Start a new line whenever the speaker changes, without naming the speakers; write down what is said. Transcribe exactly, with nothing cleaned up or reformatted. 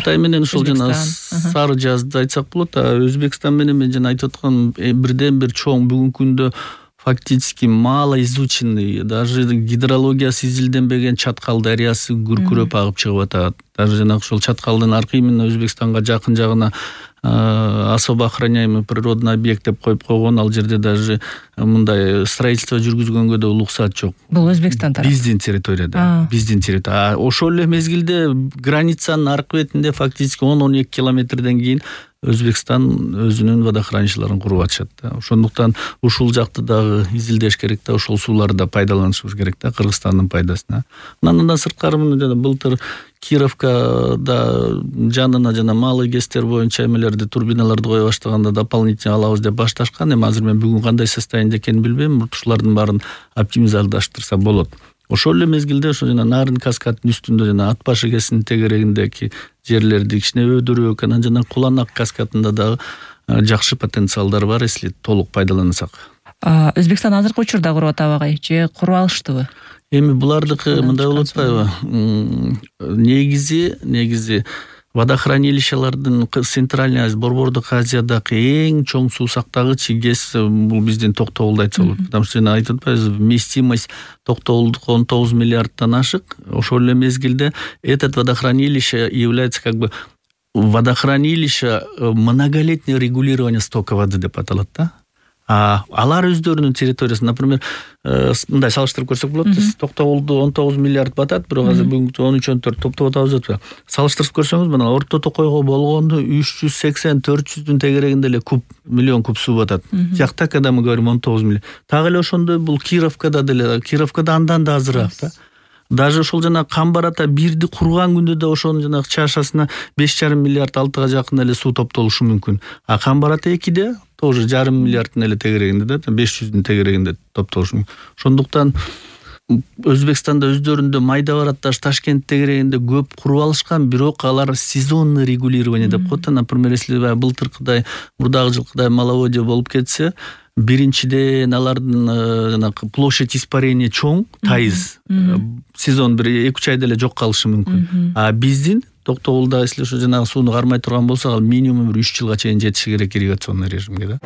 Кытай менен ушул жана сары жазды айтсак болот. Өзбекстан менен мен жана айтып аткан бирден бир чоң бүгүнкү күндө фактически мало изученный, даже гидрологиясы изилденбеген Чаткал дарыясы күркүрөп агып чыгып атат. Даже жана ошол Чаткалдын аркы именно Өзбекстанга жакын жагына особо охраняемый природный объект деп коюп койгон, ал жерде даже мындай строительство жүргүзгөнгө да уруксат жок.
Бул Өзбекстан тарапы.
Биздин территорияда, биздин территория. Ошол эле мезгилде границанын аркы бетинде фактически он он эки километрден кийин Өзбекстан өзүнүн водохранилищелерин куруп атышат да. Ошондуктан ушул жакты дагы изилдеш керек да, ошол сууларды да пайдаланышыбыз керек да, Кыргызстандын пайдасына. Андан сырткары мына жана былтыр Кировкада жанына жана малый гэстер боюнча эмелерди, турбиналарды кое баштаганда дополнительно алабыз деп башташкан. Эми азыр мен бүгүн кандай состояниеде экенин билбейм, ушулардын баарын оптимизалдаштырса болот. Ошол эле мезгилде ошо жана Нарын каскадынын үстүндө жана Ат башы кесинин тегерегиндеги жерлерди кичине өйдөрөөк, анан жана Куланак каскадында дагы жакшы потенциалдар бар, если толук пайдалансак.
Өзбекстан азыркы учурда куруп атабы же куруп алыштыбы?
Эми булардыкы мындай болуп атпайбы? Негизи, негизи водохранилищелердин Центральный Азия, Борбордук Азиядагы эң чоң суу сактагыч ГЭС бул биздин Токтогулда айтса болот. Потому что жана айтып атпайбызбы, вместимость Токтогулдук он тогуз миллиарддан ашык. Ошол эле мезгилде этот водохранилище является как бы водохранилище многолетнее регулирование стока воды деп аталат да. А алар өздөрүнүн территориясында, например, мындай салыштырып көрсөк болот. Токтогулду он тогуз миллиард батат, бирок азыр бүгүнкү он үч он төрт топтоп атабыз деп. Салыштырып көрсөңүз, мына Орто Токойго болгондо үч жүз сексен төрт жүздүн тегерегинде эле куб, миллион куб суу батат. Тиякта когда мы говорим он тогуз миллион. Так эле ошондой бул Кировкада деле, Кировкада андан да азыраак да. Даже ошол жана Камбарата бирди курган күндө да ошонун жана чашасына беш жарым миллиард алтыга жакын эле суу топтолушу мүмкүн. А Камбарата экиде тоже жарым миллиарддын эле тегерегинде да, беш жүздүн тегерегинде топтолушу мүмкүн. Ошондуктан Өзбекстанда өздөрүндө майда баратташ Ташкент тегерегинде көп куруп алышкан, бирок алар сезонный регулирование деп коет. Например, если былтыркыдай, мурдагы жылкыдай маловодье болуп кетсе, биринчиден алардын жана площадь испарения чоң, тайыз. Сезон бир эки үч айда эле жок калышы мүмкүн. А биздин Токтогулда, если ошо жанагы сууну кармай турган болсак, ал минимум үч жылга чейин жетиши керек ирригационный режимге да.